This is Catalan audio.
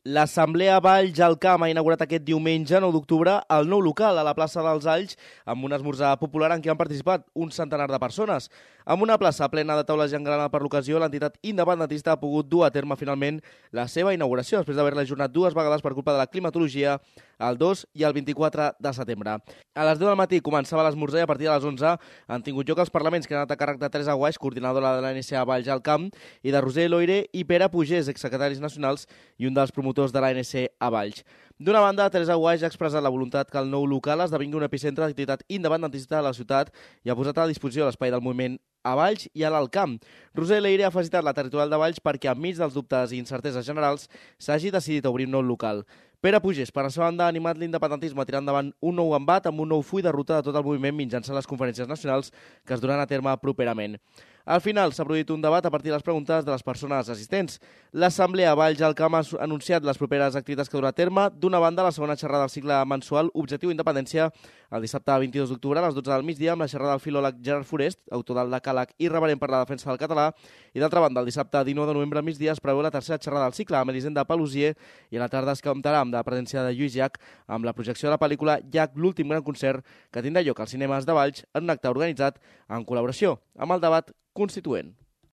L'Assemblea Valls al Camp ha inaugurat aquest diumenge, 9 d'octubre, el nou local a la plaça dels Alls, amb un esmorzar popular en què han participat un centenar de persones. Amb una plaça plena de taules i engrana per l'ocasió, l'entitat independentista ha pogut dur a terme finalment la seva inauguració, després d'haver-la ajornat dues vegades per culpa de la climatologia, el 2 i el 24 de setembre. A les 10 del matí començava l'esmorzar i a partir de les 11 han tingut lloc els parlaments que han anat a càrrec de Teresa Guaix, coordinadora de la NSA Valls al Camp, i de Roser Loire i Pere Pugés, exsecretaris nacionals i un dels promotors de l'ANC a Valls. D'una banda, Teresa Guaix ha expressat la voluntat que el nou local esdevingui un epicentre d'activitat independentista de la ciutat i ha posat a disposició l'espai del moviment a Valls i a l'Alt Camp. Roser Leire ha felicitat la territorial de Valls perquè, enmig dels dubtes i incerteses generals, s'hagi decidit a obrir un nou local. Pere Pugés, per la seva banda, ha animat l'independentisme a tirar endavant un nou embat amb un nou full de ruta de tot el moviment mitjançant les conferències nacionals que es duran a terme properament. Al final s'ha produït un debat a partir de les preguntes de les persones assistents. L'Assemblea Valls al Camp ha anunciat les properes activitats que durà a terme. D'una banda, la segona xerrada del cicle mensual Objectiu Independència, el dissabte 22 d'octubre a les 12 del migdia, amb la xerrada del filòleg Gerard Forest, autor del decàleg irreverent per la defensa del català, i d'altra banda, el dissabte 19 de novembre al migdia es preveu la tercera xerrada del cicle amb Elisenda Palusier i a la tarda es comptarà amb la presència de Lluís Llach amb la projecció de la pel·lícula Llach, l'últim gran concert, que tindrà lloc als cinemes de Valls en un acte organitzat en col·laboració amb el Debat Constituent.